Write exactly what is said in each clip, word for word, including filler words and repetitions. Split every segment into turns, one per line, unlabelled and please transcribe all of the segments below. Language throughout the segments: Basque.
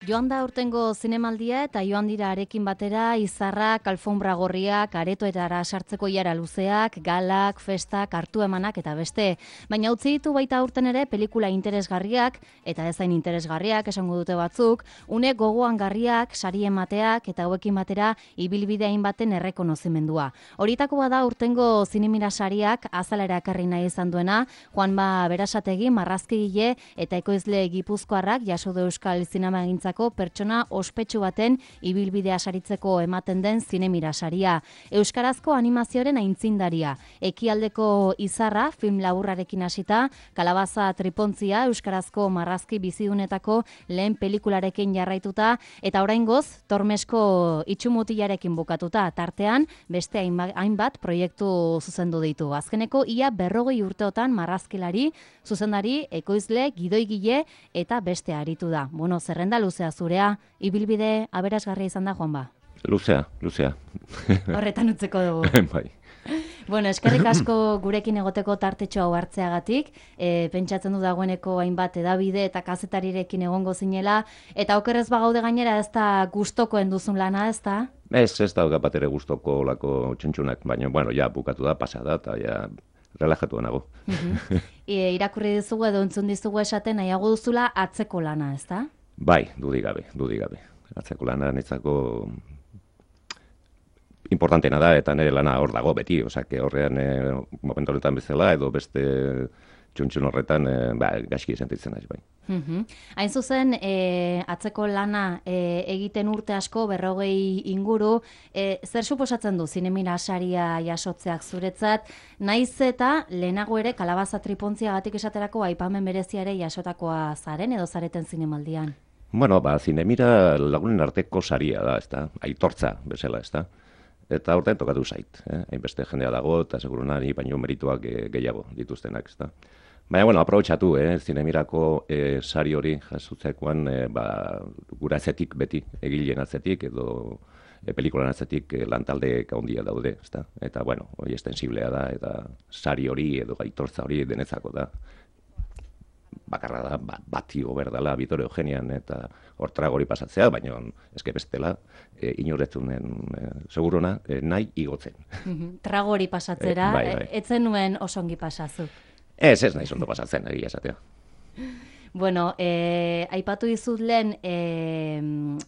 Joan da urtengo zinemaldia eta joan dira arekin batera izarrak, alfombra gorriak, aretoetara sartzeko iara luzeak, galak, festak, hartu emanak eta beste. Baina utzi ditu baita urten ere pelikula interesgarriak eta ezain interesgarriak esango dute batzuk, une gogoan garriak, sari emateak eta hauekin batera ibilbideain baten errekonozimendua. Horietako bada urtengo zinemira sariak azalera ekarri nahi izan duena, Juanba Berasategi, marrazkigile eta ekoizle gipuzkoarrak jaso du Euskal Zinemagintzako pertsona ospetsu baten ibilbidea saritzeko ematen den zinemira saria. Euskarazko animazioaren aintzindaria. Ekialdeko izarra, film laburrarekin hasita, Kalabaza tripontzia, euskarazko marrazki bizidunetako lehen pelikularekin jarraituta, eta oraingoz, Tormesko itxumutilarekin bukatuta, tartean, beste hainbat proiektu zuzendu ditu. Azkeneko, ia berrogei urteotan marrazkilari, zuzendari, ekoizle, gidoigile eta beste aritu da. Bueno, zerrenda luzea zurea, ibilbide aberasgarria izan da, Juanba?
Luzea, luzea.
Horretan utzeko dugu.
Bai.
Bueno, eskerrik asko gurekin egoteko tartetxo hau hartzeagatik, e, pentsatzen du dagoeneko hainbat edabide eta kazetarirekin egongo zinela, eta okerrez bagaude gainera ez da gustokoen duzun lana, ez da?
Ez, ez da bat ere gustoko olako txuntxunak, baina, bueno, ja, bukatu da, pasada, eta ja, relajatu nago.
E, irakurri dizugu edo entzun dizugu esaten nahiago duzula atzeko lana, ez da?
Bai, dudik gabe, dudik gabe. Atzeko lana nitzako importantena da, eta nire lana hor dago beti, osea, horrean e, momentu horretan bezala, edo beste txuntxun horretan e, ba, gaizki sentitzen naiz, bai.
Uhum. Hain zuzen, e, atzeko lana e, egiten urte asko, berrogei inguru, e, zer suposatzen du zinemira saria jasotzeak zuretzat, naiz eta lehenago ere Kalabaza tripontziagatik esaterako aipamen berezia ere jasotakoa zaren edo zareten zinemaldian?
Bueno, ba, zinemira lagunen arteko saria da, ezta, aitortza bezala, ezta. Eta horten tokatu zait, eh? Hainbeste jendea dago, eta segurunari baino merituak e, gehiago dituztenak, ezta. Baina, bueno, aprobetxatu, eh? Zinemirako e, sari hori jasutzekoan, e, ba, gura atzetik beti, egileen atzetik, edo e, pelikulan atzetik e, lantaldeek handia daude, ezta. Eta, bueno, hori estensiblea da, eta sari hori edo aitortza hori denetzako da. Bakarra da, ba, bati goberdala Vittorio Eugenian eta hortra gori pasatzea, baina eske bestela e, inoretunen e, seguruna e, nahi igotzen.
Tragori pasatzera,
e, bai, bai.
Etzen nuen osongi pasazu.
Ez, ez nahi zondo pasatzen, egia esatea.
Bueno, eh, aipatu dizut lehen, eh,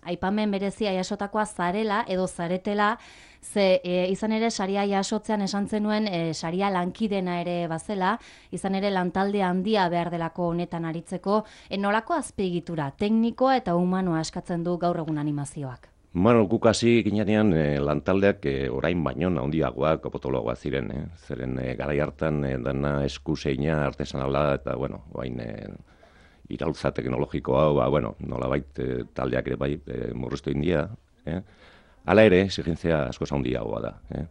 aipamen berezia jasotakoa zarela edo zaretela, ze e, izan ere saria jasotzean esan zenuen e, saria lankidena ere bazela, izan ere lantalde handia behar delako honetan aritzeko, e, nolako azpiegitura, teknikoa eta humanoa eskatzen du gaur egun animazioak?
Bueno, guk hasi ginean e, lantaldeak e, orain baino handiagoak, potoloagoak ziren, eh? Zeren e, garai hartan e, dana eskuseina artesanala eta, bueno, bain e, iraultza teknologikoa, ba, bueno, nolabait e, taldeak ere bai e, murriztu india, eh? Hala ere, exigentzia asko handiagoa da. Eh?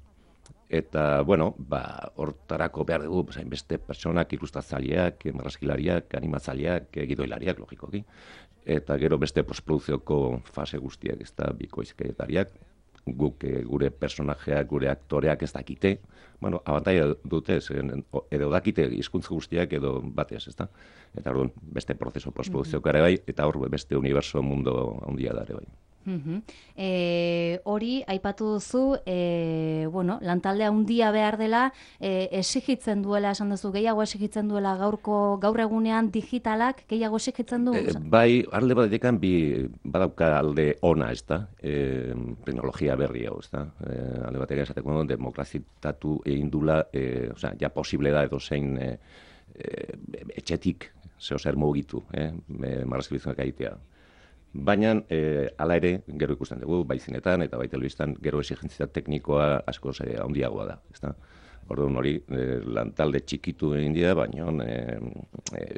Eta, bueno, ba, hortarako behar dugu, hainbeste pertsonak, ilustratzaileak, marrazkilariak, animatzaileak, gidoilariak, logikoki. Eta gero beste postproduzioko fase guztiak, ez da, bikoizketariak, guk e, gure personajeak, gure aktoreak ez dakite, bueno, abantaia dute, edo dakite hizkuntza guztiak edo batez, ez da? Eta orduan, beste prozeso postproduzioko ere bai, eta hor beste universo mundo handia da ere bai.
Uhum. E, hori, aipatu duzu, e, bueno, lantalde handia behar dela, e, exigitzen duela, esan duzu, gehiago exigitzen duela gaurko, gaur egunean digitalak, gehiago exigitzen du?
E, bai, alde batekan bi badauka alde ona, ez da, e, teknologia berri hau, ez da, e, alde batekan esateko demokrazitatu egin dula, e, osea, ja posible da edo zein e, e, etxetik, zeo zer mugitu, eh, marrazkibizunak egitea. Baina, e, ala ere, gero ikusten dugu, bai zinetan eta bai telebistan, gero exigentzia teknikoa asko e, handiagoa da. Ezta? Orduan hori, e, lantalde txikitu egin dira, baina e, e,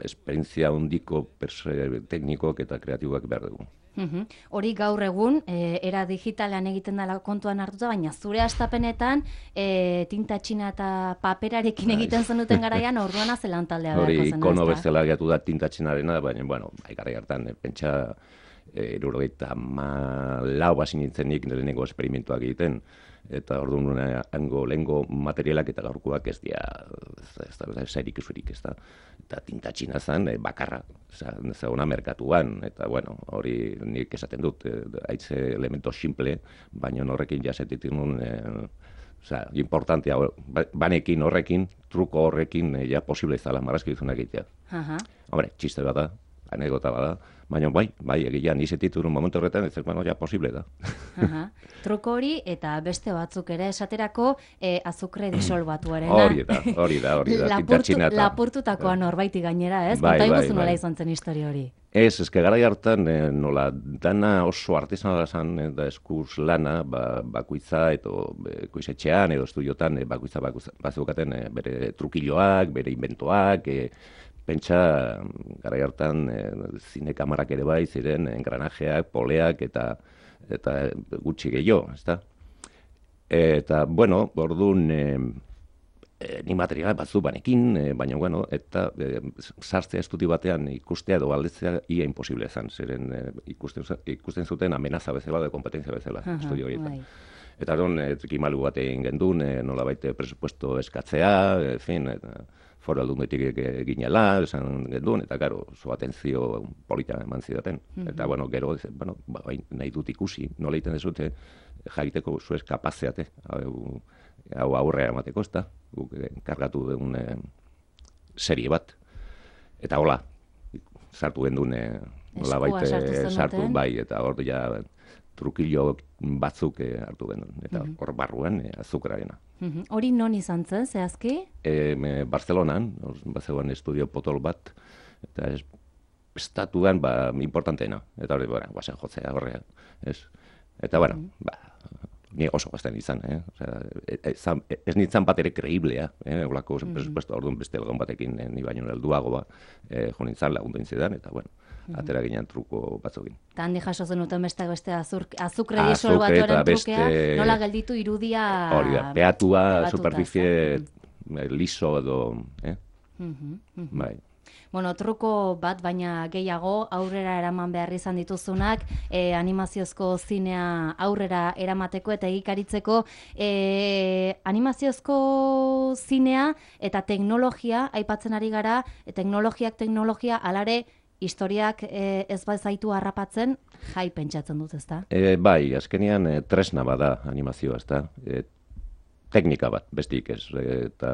esperientzia handiko teknikoak eta kreatiboak behar dugu.
Uhum. Hori gaur egun, e, era digitalean egiten dela kontuan hartuta, baina zure astapenetan e, tinta txina eta paperarekin egiten zenuten garaian, orduan azelan taldea beharko zen.
Hori ikono bezala gehiatu da tinta txinarena, baina, bueno, garai hartan, pentsa hirurogeita hamalau hasi nintzen nik lehenengo esperimentuak egiten, eta orduan hango lehengo materialak eta gaurkoak ez dira, ez da, zairik usurik, ez da. Eta tinta txina zen, bakarra, zauna merkatuan, eta bueno, hori nik esaten dut, haitze elemento simple, baina horrekin jasetitik nun, oza, importantea, banekin horrekin, truko horrekin, ja posible izala, marrazki duzunak egitea. Hombre, txiste bada, anekdota bada, baina bai, bai, egia nizetit un momentu horretan, ez bueno, ja posible da.
Truko hori eta beste batzuk ere esaterako azukre disolbatuarena.
Hori da, hori da, hori da, tinta txina.
Lapurtutakoa norbaiti gainera, ez? Konta iguzu nola izan zen historia hori.
Ez, ezke garai hartan nola dana oso artesanala zan, da eskuz lana, bakuitza edo koizetxean edo estudiotan bakuitza bazukaten bere trukilloak, bere inventoak, pentsa garai hartan zine kamarak ere bai ziren engranajeak, poleak eta eta gutxi gehiago, ezta? Eta, bueno, orduan ni material batzu banekin, baina, bueno, eta sartzea estudi batean ikustea edo aldetzea ia imposible ezan, zeren ikusten zuten amenaza bezala, de kompetentzia bezala, estudio horietan. Eta orduan, trikimalu bat egin gendun, nola baite presupuesto eskatzea, en fin, foru aldundetik ginela, esan gendun, eta gero, zo atentzio polita eman zidaten. Eta, bueno, gero, bueno, nahi dut ikusi, nola egiten dezute, jakiteko zuez kapazeate, hau aurrea emateko, ez da, guk kargatu dugun serie bat. Eta hola, sartu gendun, nola baite sartu, bai, eta hor ja trukillo batzuk hartu genuen, eta hor barruan azukrarena.
Hori non izan zen, zehazki?
Barcelonan, bazegoen estudio potol bat, eta estatuan importanteena, eta hori, guazen jotzea horrean, ez? Eta, bueno, ni oso gazten izan, ez nintzen bat ere kreiblea, holako presupuesto orduan beste elgon batekin ni baino helduago jo nintzen lagundu intzidan, eta, bueno, atera ginen truko batzukin.
Eta handi jaso zenuten beste beste azukre disolbatuaren trukea, nola gelditu irudia...
Hori da, peatua, superficie liso edo... Bai.
Bueno, truko bat, baina gehiago aurrera eraman behar izan dituzunak, animaziozko zinea aurrera eramateko eta egikaritzeko, animaziozko zinea eta teknologia, aipatzen ari gara, teknologiak teknologia, alare, historiak ez bazaitu harrapatzen, jai pentsatzen dut, ezta?
Bai, azkenean tresna bada animazioa, ezta? Teknika bat, bestik ez, eta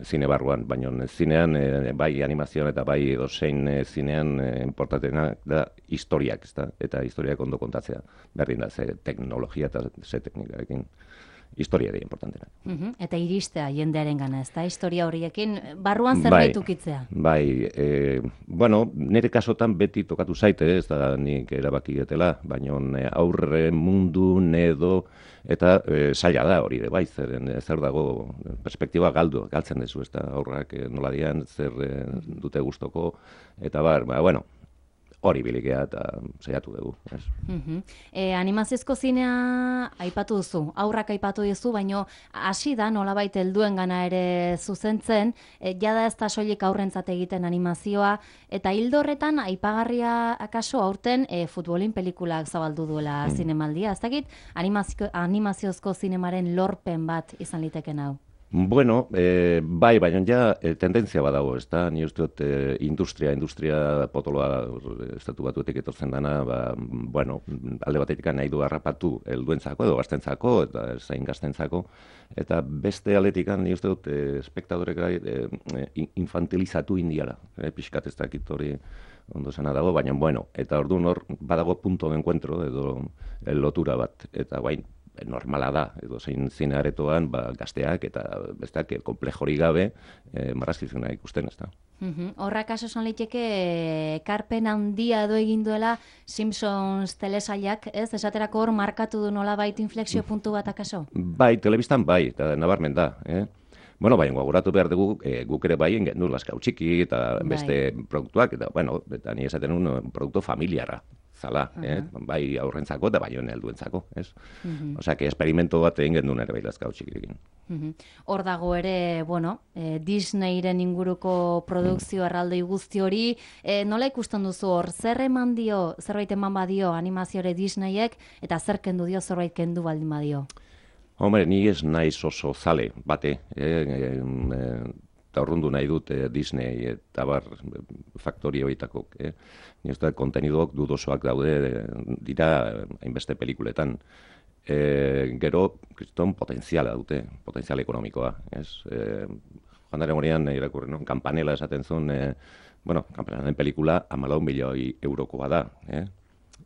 zine barruan, baina zinean, bai animazioan eta bai edozein zinean importantena da historiak, ezta? Eta historiak ondo kontatzea, berdin da, ze teknologia eta ze teknikarekin. Historia da importantena.
Eta iristea jendearen gana, ez da? Historia horiekin barruan zerbait ukitzea.
Bai, bueno, nire kasotan beti tokatu zaite, ez da nik erabaki getela, baina aurre mundu, nedo, eta zaila da hori de bai, zer dago perspektiba galdu, galtzen dezu, ez da aurrak nola dian, zer dute gustoko, eta bar, bueno, hori bilikea eta saiatu dugu.
Animaziozko zinea aipatu duzu, aurrak aipatu duzu, baina hasi da nolabait helduen gana ere zuzentzen, jada ez da soilik aurrentzat egiten animazioa, eta hildo horretan aipagarria akaso aurten futbolin pelikulak zabaldu duela zinemaldia. Ez dakit animaziozko zinemaren lorpen bat izan liteken hau?
Bueno, bai, baina ja tendentzia badago, ez da, ni uste dut industria, industria potoloa estatu batuetik etortzen dana, bueno, alde batetik nahi du harrapatu helduentzako edo gaztentzako, eta zain gaztentzako, eta beste aldetik ni uste dut espektadorek infantilizatu indiala, pixkat ez dakit hori ondo zena dago, baina, bueno, eta orduan hor badago punto de encuentro edo lotura bat, eta guain, normala da, edo zein zine aretoan gazteak eta besteak komplejori gabe marrazkizuna ikusten, ez da.
Horrak kaso esan liteke ekarpen handia edo egin duela Simpsons telesailak, ez? Esaterako hor markatu du nolabait inflexio puntu bat akaso?
Bai, telebistan bai, eta nabarmen da, eh? Bueno, baina gogoratu behar dugu, guk ere bai gendu laskau txiki eta beste produktuak, eta, bueno, eta ni esaten un produktu familiarra. zala, uh -huh. eh? bai aurrentzako eta bai helduentzako, ez? Uh -huh. Osea, que experimento bat egin gendun ere bai lazkau txikirekin.
Hor dago ere, bueno, eh, Disneyren inguruko produkzio mm. erraldoi guzti hori, eh, nola ikusten duzu hor, zer eman dio, zerbait eman badio animaziore Disneyek, eta zer kendu dio, zerbait kendu baldin badio?
Hombre, ni ez naiz oso zale, bate, eh, eh, eh, eta horrundu nahi dut eh, Disney eta bar faktori horietako. Eh? Ni ez da, kontenidoak dudosoak daude dira hainbeste pelikuletan. E, gero, kriston potenziala dute, potenzial ekonomikoa. Ez? E, joan dara morean, irakurri, no? Kampanela esaten zuen, e, bueno, Kampanelaren pelikula hamalau milioi eurokoa da. Eh?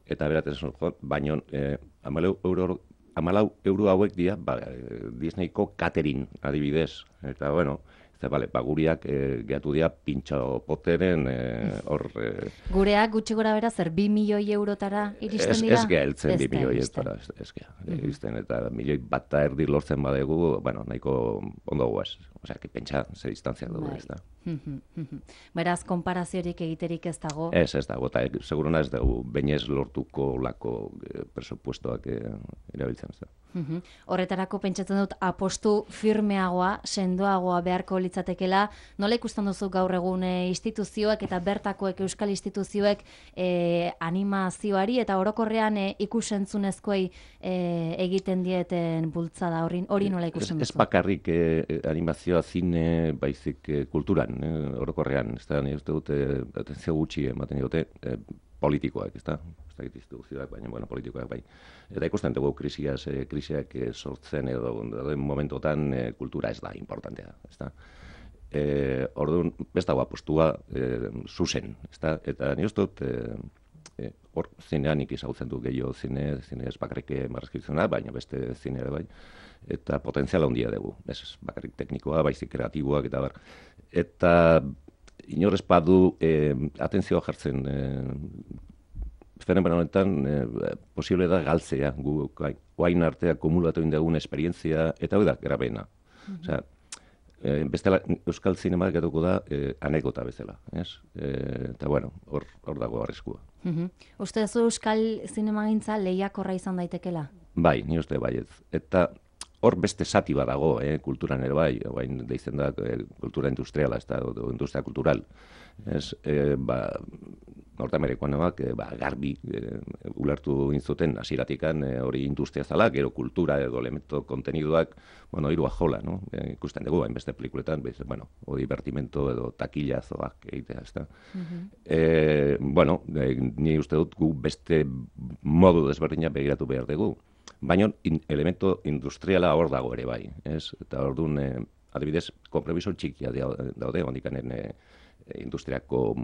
Eta beratzen zuen, baino, e, hamalau euro, hamalau euro hauek dira, ba, Disneyko catering adibidez. Eta, bueno, Eta, bale, ba, guriak e, gehatu dira pintxo poteren hor... E, e,
Gureak gutxi gora bera zer, bi milioi eurotara iristen
ez,
dira?
Ez geha heltzen bi milioi eurotara, ez, ez geha. Iristen, eta milioi bat erdi lortzen badegu, bueno, nahiko ondo guaz. Osea, que pentsa ze distantzia dugu, ez da.
Beraz, konparaziorik egiterik ez dago?
Ez, ez dago, eta e, seguruna ez dugu, bainez lortuko lako e, presupuestoak e, erabiltzen, ez da.
Horretarako pentsatzen dut apostu firmeagoa, sendoagoa beharko litzatekela. Nola ikusten duzu gaur egun e, instituzioek eta bertakoek euskal instituzioek e, animazioari eta orokorrean e, ikusentzunezkoei e, egiten dieten bultzada hori, hori nola ikusten duzu?
Ez bakarrik e, animazioa zine baizik e, kulturan, e, orokorrean, ez da, nire uste dute, atentzio gutxi ematen dute, e, politikoak, ez da? Instituzioak, baina, bueno, politikoak bai. Eta ikusten dugu krisiaz, eh, krisiak eh, sortzen edo den momentotan eh, kultura ez da importantea, ez da. Eh, orduan, ez dago apostua eh, zuzen, ez da. Eta nire uste dut, eh, hor eh, zinean ikizautzen du gehiago zine, zine ez bakarrik marrazkitzena, baina beste zine ere bai. Eta potentziala handia dugu, ez bakarrik teknikoa, baizik kreatiboak eta bar. Eta inorez badu eh, atentzioa jartzen eh, fenomeno honetan eh, posible da galtzea, gu guain artea kumulatu indagun esperientzia, eta hori da, grabena. Mm-hmm. Osea, eh, bestela, euskal zinema getuko da eh, anekdota bezala, ez? Eh, eta bueno, hor, hor dago arriskua.
Mm-hmm. Uste zu euskal zinemagintza lehiakorra izan daitekela?
Bai, ni uste bai ez. Eta hor beste zati bat dago, eh, kulturan ere bai, bain deitzen da eh, kultura industriala, ez da, o, industria kultural. Ez, eh, ba, Nortamerikoanak eh, ba, garbi eh, ulertu intzuten hasieratikan eh, hori industria zala, gero kultura edo elemento konteniduak, bueno, hiru ajola, no? Eh, ikusten dugu, hainbeste pelikuletan, bez, bueno, o divertimento edo takillazoak egitea, ez da. Uh-huh. eh, bueno, eh, ni uste dut gu beste modu desberdina begiratu behar dugu. Baina in, elemento industriala hor dago ere bai, ez? Eta orduan, eh, adibidez, konpromiso txikia daude, ondikanen eh, industriako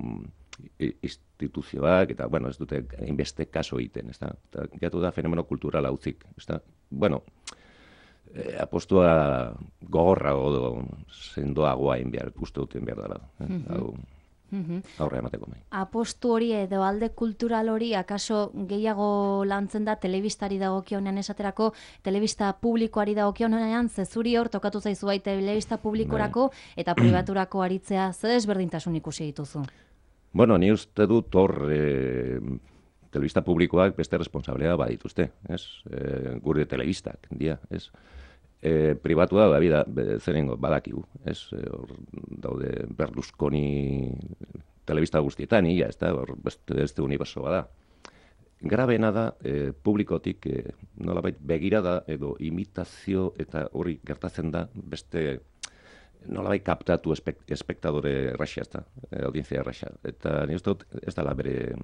instituzioak, eta, bueno, ez dute inbeste kaso egiten, ez da? Eta gatu da fenomeno kulturala utzik, ez da? Bueno, eh, apostua gogorra o sendoagoa inbiar, uste duten behar dela. Eh? Mm-hmm. Hau, aurre emateko mai.
Apostu hori edo alde kultural hori akaso gehiago lantzen da telebistari dagokionean esaterako, telebista publikoari dagokionean, zezuri hor tokatu zaizu bai telebista publikorako eta pribaturako aritzea, ze desberdintasun ikusi dituzu?
Bueno, ni uste dut hor e, telebista publikoak beste responsablea badituzte, ez? E, gure telebistak, dia, ez? E, pribatua da, bida, zerengo, badakigu, ez? E, hor daude Berlusconi telebista guztietan, ia, ez da? Hor beste, beste uniberso bada. Grabena da, e, publikotik, e, nolabait begirada edo imitazio eta hori gertatzen da beste nolabait kaptatu espek, espektadore erraxa, ez da, audientzia erraxa. Eta ni uste dut, ez dala bere...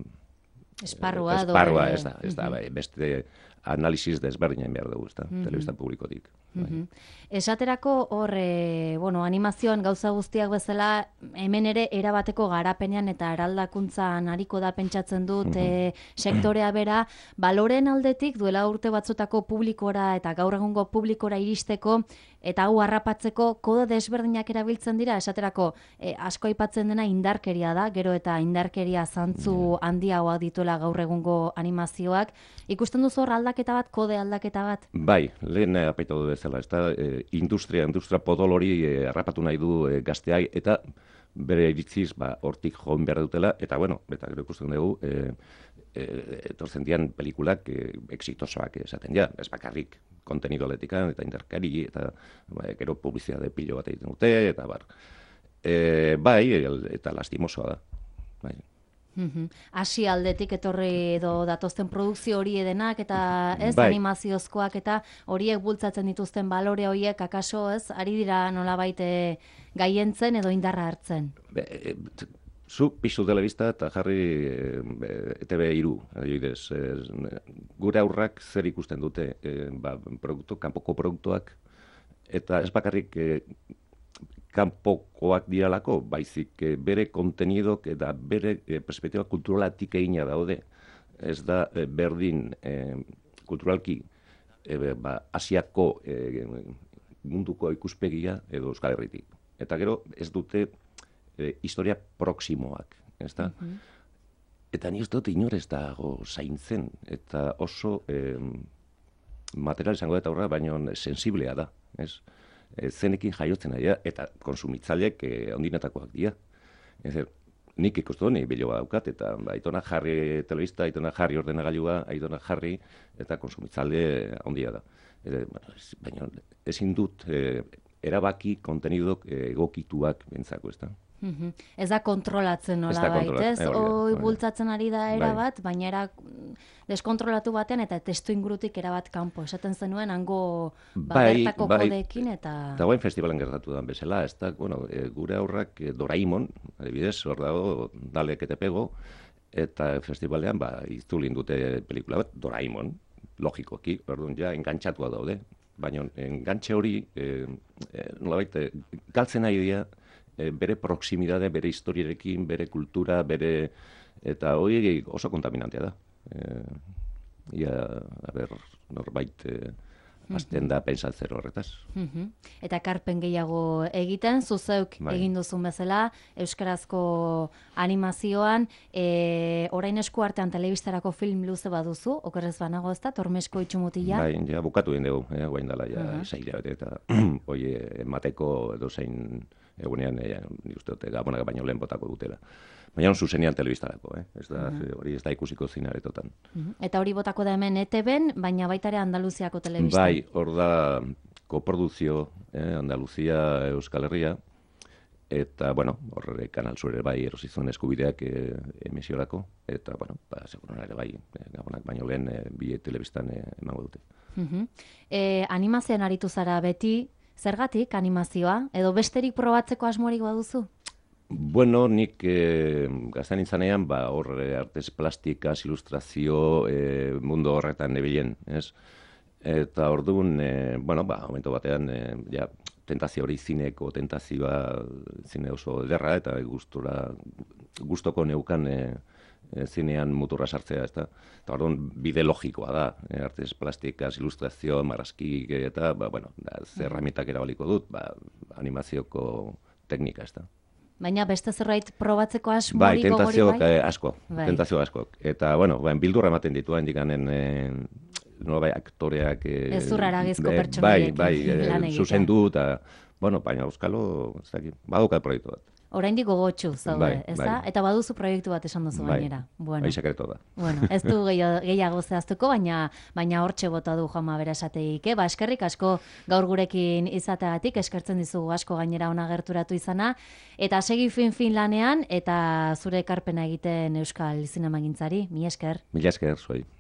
Esparrua,
esparrua ez da, ez da, bai, beste analisis desberdinen behar dugu, ez da,
mm-hmm.
telebista publikotik.
Mm-hmm. Esaterako hor, e, bueno, animazioan gauza guztiak bezala, hemen ere erabateko garapenean eta eraldakuntzan ariko da pentsatzen dut mm-hmm. e, sektorea bera, baloren aldetik duela urte batzutako publikora eta gaur egungo publikora iristeko, eta hau harrapatzeko kode desberdinak erabiltzen dira, esaterako e, asko aipatzen dena indarkeria da, gero eta indarkeria zantzu handiagoak dituela gaur egungo animazioak. Ikusten duzu hor aldaketa bat, kode aldaketa bat?
Bai, lehen apaitu du bezala, ez da, e, industria, industria potol hori e, harrapatu nahi du e, gazteai, eta bere iritziz, ba, hortik joan behar dutela, eta bueno, eta gero ikusten dugu, e, e, etortzen dian pelikulak e, exitosoak esaten ja, ez bakarrik kontenido aletikan, eta interkari, eta ba, gero publizitate pilo bat egiten dute, eta bar. E, bai, el, eta lastimosoa da. Bai.
Hasi aldetik etorri edo datozten produkzio hori edenak eta ez
bai.
animaziozkoak eta horiek bultzatzen dituzten balore horiek akaso ez ari dira nolabait gaientzen edo indarra hartzen.
Be, e, zu pisu telebista eta jarri e, E Te Be hiru, adibidez. E, gure aurrak zer ikusten dute, e, ba, produktu, kanpoko produktuak, eta ez bakarrik e, kanpokoak diralako, baizik e, bere kontenidok eta bere e, perspektiba kulturalatik egina daude. Ez da e, berdin e, kulturalki e, ba, Asiako e, munduko ikuspegia edo Euskal Herritik. Eta gero ez dute e, historia proximoak, ez da? Mm-hmm. Eta ni ez dut inor ez dago zaintzen, eta oso e, material izango eta horra, baina sensiblea da, ez? E, zenekin jaiotzen ari da, eta konsumitzaileek e, ondinetakoak dira. Ez er, nik ikustu dut, nik biloa daukat, eta ba, aitona jarri telebista, aitona jarri ordenagailua, aitona jarri, eta konsumitzaile ondia da. E, bueno, ez, baina ezin dut e, erabaki kontenidok e, egokituak bentzako, ez da?
Mm-hmm. Ez da kontrolatzen nolabait, ez? Hoi bultzatzen ari da erabat, bai. Baina era deskontrolatu batean eta testu ingurutik erabat kanpo. Esaten zenuen hango ba, bai, bertako bai, kodekin eta...
Eta guain festivalen gertatu da bezala, ez da, bueno, e, gure aurrak e, Doraemon, adibidez, hor dago, Dalek eta Pego, eta festivalean, ba, iztulin dute pelikula bat, Doraemon, logikoki, orduan ja, engantxatua daude. Baina engantxe hori, e, e, nolabait, e, galtzen nahi dira, bere proximidade, bere historiarekin, bere kultura, bere... Eta hori oso kontaminantea da. E, ia, a ber, norbait e, azten da pentsatzen horretaz.
Uh-huh. Eta karpen gehiago egiten, zuzeuk bai. Egin duzun bezala, euskarazko animazioan, e, orain esku artean telebistarako film luze baduzu, okerrez banago ez da, Tormesko itxumutila?
Bai, ja, bukatu den dugu, eh, guain dela, ja, uh-huh. Zaila, eta hoi emateko edo zein... Egunean, ja, nik uste dute, gabonak baino lehen botako dutela. Baina zuzenean telebistarako, eh? Ez da, uh-huh. hori ez da ikusiko zinaretotan. Uh-huh.
Eta hori botako da hemen E Te Ben, baina baita ere Andaluziako telebistan.
Bai, hor da koproduzio, eh? Andaluzia, Euskal Herria, eta, bueno, horre Kanal Sur ere bai erosizuen eskubideak eh, emisiorako, eta, bueno, ba, seguran ere bai, eh, gabonak baino lehen eh, bi telebistan eh, emango dute.
Uh-huh. eh, animazioan aritu zara beti, zergatik animazioa? Edo besterik probatzeko asmorik baduzu?
Bueno, nik eh, gaztan intzanean, ba, hor artez plastikaz, ilustrazio, eh, mundu horretan nebilen, ez? Eta orduan, eh, bueno, ba, momento batean, eh, ja, tentazio hori zineko, tentazioa zine oso ederra, eta gustura, gustoko neukan eh, zinean muturra sartzea, ez da? Eta orduan, bide logikoa da, eh, artez plastikaz, ilustrazio, marrazkik, eta, ba, bueno, da, zer herramientak erabaliko dut, ba, animazioko teknika, ez da?
Baina beste zerbait probatzeko asmorik
bai,
gogori bai?
Bai, asko, bai. Tentazio asko. Eta, bueno, ba, bildurra ematen ditu handikanen, eh, nola bai, aktoreak... Eh,
ez zurraragizko pertsonaiekin.
Bai, bai, eh, zuzendu, eta, bueno, baina euskalo, ez dakit, badukat proiektu bat.
Oraindik gogotsu zaude,
bai,
ez
bai.
da? Eta baduzu proiektu bat esan duzu
bai,
gainera. Bueno.
Bai, sekreto da.
Bueno, ez du gehiago zehaztuko, baina baina hortxe bota du Juanma Berasategik, eh? Ba, eskerrik asko gaur gurekin izateagatik, eskertzen dizugu asko gainera ona gerturatu izana, eta segi fin-fin lanean, eta zure ekarpena egiten Euskal Zinemagintzari. Mi esker.
Mila esker, zuei.